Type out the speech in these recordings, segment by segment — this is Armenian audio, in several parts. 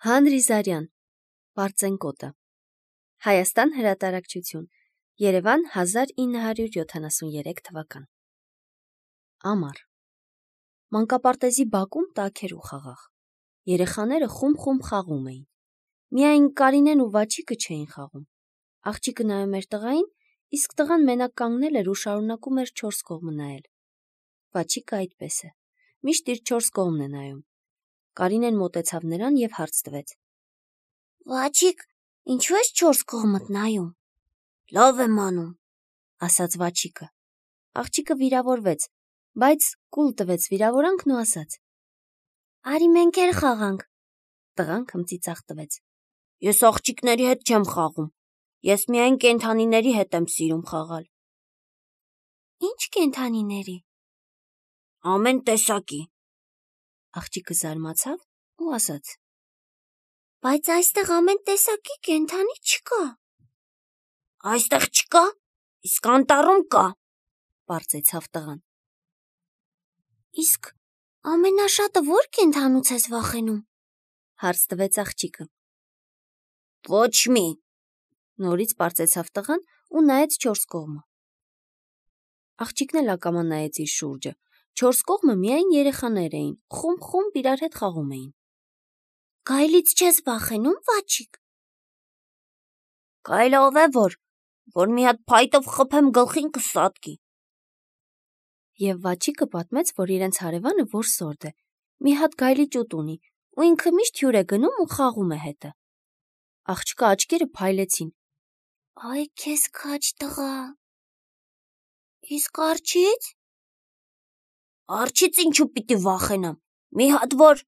Հանրի Զարյան, Պարծենկոտը, Հայաստան հրատարակչություն, Երևան 1973 թվական։ Ամառ։ Մանկապարտեզի բակում տաք էր ու խաղաղ։ Երեխաները խումբ խաղում էին։ Միայն Կարինեն ու Վաչիկը չէին խաղում։ Աղջիկը նայում էր տղային, իսկ տղան մենակ կանգնել էր ու շարունակում էր 4 կողմը նայել։ Վաչիկը այդպես է, միշտ իր 4 կողմն է նայում։ Կարինեն մոտեցավ նրան և հարց տվեց. Վաչիկ, ինչու ես 4 կողմդ նայում։ Լավ եմ անում, ասաց Վաչիկը։ Աղջիկը վիրավորվեց, բայց կուլ տվեց վիրավորանքն ու ասաց. Արի մենք էլ խաղանք։ Տղան քմծիծաղ տվեց. Ես աղջիկների հետ չեմ խաղում։ Ես միայն կենդանիների հետ եմ սիրում խաղալ։ Ինչ կենդանիների։ Ամեն տեսակի։ Աղջիկը զարմացավ ու ասաց. Բայց այստեղ ամեն տեսակի կենդանի չկա։ Այստեղ չկա, իսկ անտառում կա, պարզեցավ տղան։ Իսկ ամենաշատը որ կենդանուց ես վախենում, հարց տվեց աղջիկը։ Ոչ մի, նորից պարզեցավ տղան ու նայեց 4 կողմը։ Աղջիկն էլ ակամա նայեց իր շուրջը։ 4 կողմը միայն երեխաներ էին, խումբ իրար հետ խաղում էին։ Գայլից չես վախենում, Վաչիկ։ Գայլը ով է որ մի հատ փայտով խփեմ գլխին կսատկի։ Եվ Վաչիկը պատմեց, որ իրենց հարևանը որսորդ է, մի հատ գայլի ճուտ ունի, ու ինքը միշտ հյուր է գնում ու խաղում է հետը։ Աղջկա աչքերը փայլեցին։ Այ քեզ քաջ տղա։ Իսկ արջից։ Արջից ինչու պիտի վախենամ։ Մի հատ որ։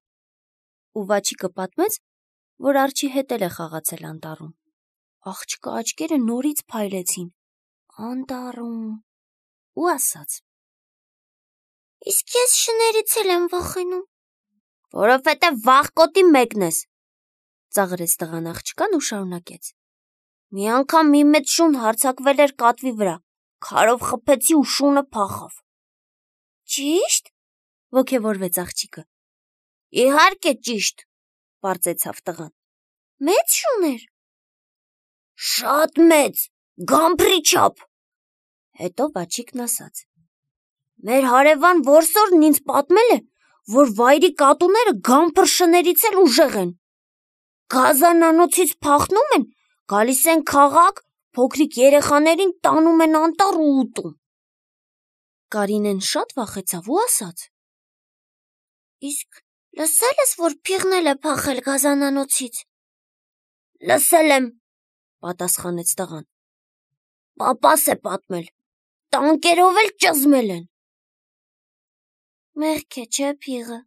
Ու Վաչիկը պատմեց, որ արջի հետ էլ է խաղացել անտառում։ Աղջկա աչքերը նորից փայլեցին։ Անտառում։ Ու ասաց. Իսկ ես շներից էլ եմ վախենում։ Որովհետև վախկոտի մեկն ես։ Ծաղրեց տղան աղջկան ու շարունակեց. Մի անգամ մի մեծ շուն հարձակվել էր կատվի վրա, քարով խփեցի ու շունը փախավ։ Ճիշտ։ Ոգևորվեց աղջիկը։ Իհարկե ճիշտ, պարզեցավ տղան։ Մեծ շուն էր։ Շատ մեծ, գամբրի չափ։ Հետո Վաչիկն ասաց. Մեր հարևան որսորդն ինձ պատմել է, որ վայրի կատուները գամբր շներից էլ ուժեղ են։ Գազանանոցից փախնում են, գալիս են քաղաք, փոքրիկ երեխաներին տանում են անտառ ու ուտում։ Կարինեն շատ վախեցավ ու ասաց. Իսկ լսել ես, որ փիղնել է փախել գազանանոցից։ Լսել եմ, պատասխանեց տղան։ Պապաս է պատմել, տանկերով էլ ճզմել են։ Մեղք է, չէ փիղը։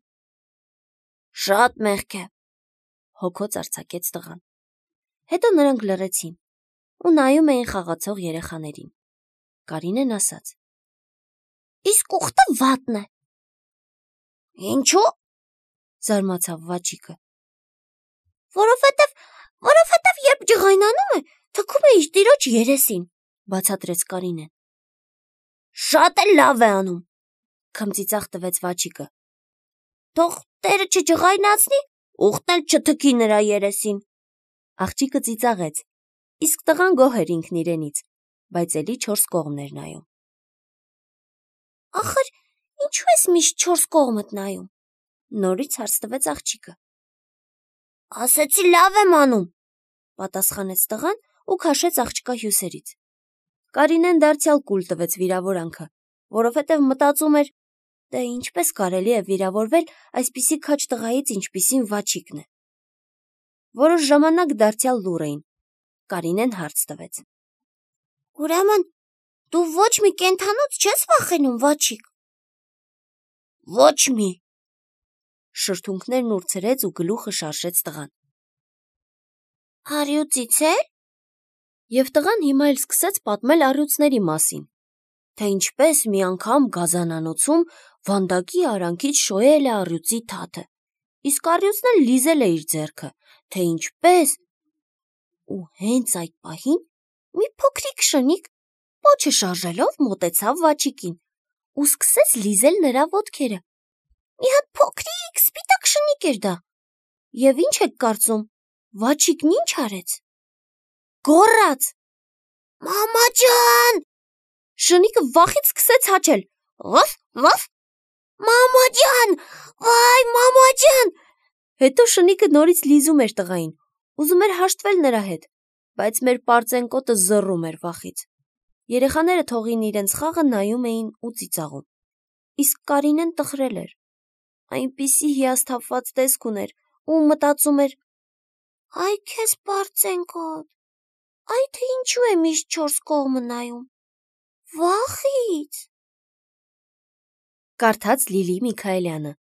Շատ մեղք է, հոգոց արձակեց տղան։ Հետո նրանք լռեցին ու նայում էին խաղացող երեխաներին։ Կարինեն ասաց. Իսկ ուխտը վատն է։ Ինչու՞։ Զարմացավ Վաչիկը։ Որովհետև երբ ջղայնանում է, թքում է իր տիրոջ երեսին, բացատրեց Կարինեն։ Շատ էլ լավ է անում, քմծիծաղ տվեց Վաչիկը։ Թող տերը չջղայնացնի, ուխտն էլ չթքի նրա երեսին։ Աղջիկը ծիծաղեց, իսկ տղան գոհ էր ինքն իրենից, բայց էլի 4 կողմն էր նայում։ Ախր, ինչու ես միշտ 4 կողմդ նայում։ Նորից հարց տվեց աղջիկը։ Ասեցի լավ եմ անում, պատասխանեց տղան ու քաշեց աղջկա հյուսերից։ Կարինեն դարձյալ կուլ տվեց վիրավորանքը, որովհետև մտածում էր, թե ինչպես կարելի է վիրավորվել այսպիսի քաջ տղայից, ինչպիսին Վաչիկն է։ Որոշ ժամանակ դարձյալ լուռ էին։ Կարինեն հարց տվեց. Ուրեմն դու ոչ մի կենդանուց չես վախենում, Վաչիկ։ Ոչ մի։ Շրթունքներն ուրցրեց ու գլուխը շարժեց տղան։ Առյուծից էլ։ Եվ տղան հիմա էլ սկսեց պատմել առյուծների մասին, թե ինչպես մի անգամ գազանանոցում վանդակի արանքից շոյել է առյուծի թաթը, իսկ առյուծն էլ լիզել է իր ձեռքը, թե ինչպես։ Ու հենց այդ պահին մի փոքրիկ շնիկ պոչը շարժելով մոտեցավ Վաչիկին ու սկսեց լիզել նրա ոտքերը։ Մի հատ փոքրիկ սպիտակ շնիկ էր դա։ Եվ ինչ եք կարծում, Վաչիկն ինչ արեց։ Գոռաց. «Մամա ջան»։ Շնիկը վախից սկսեց հաչել. «Վաֆ, վաֆ»։ «Մամա ջան, վայ, մամա ջան»։ Հետո շնիկը նորից լիզում էր տղային, ուզում էր հաշտվել նրա հետ, բայց մեր պարծենկոտը զռում էր վախից։ Երեխաները թողին իրենց խաղը նայում էին ու ծիծաղում։ Իսկ Կարինեն տխրել էր։ Այնպիսի հիասթափված տեսք ուներ ու մտածում էր. «Այ քեզ պարծենկոտ, այ թե ինչու է միշտ 4 կողմը նայում։ Վախից»։ Կարդաց Լիլի Միքայելյանը,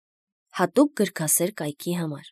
հատուկ գրքասեր կայքի համար։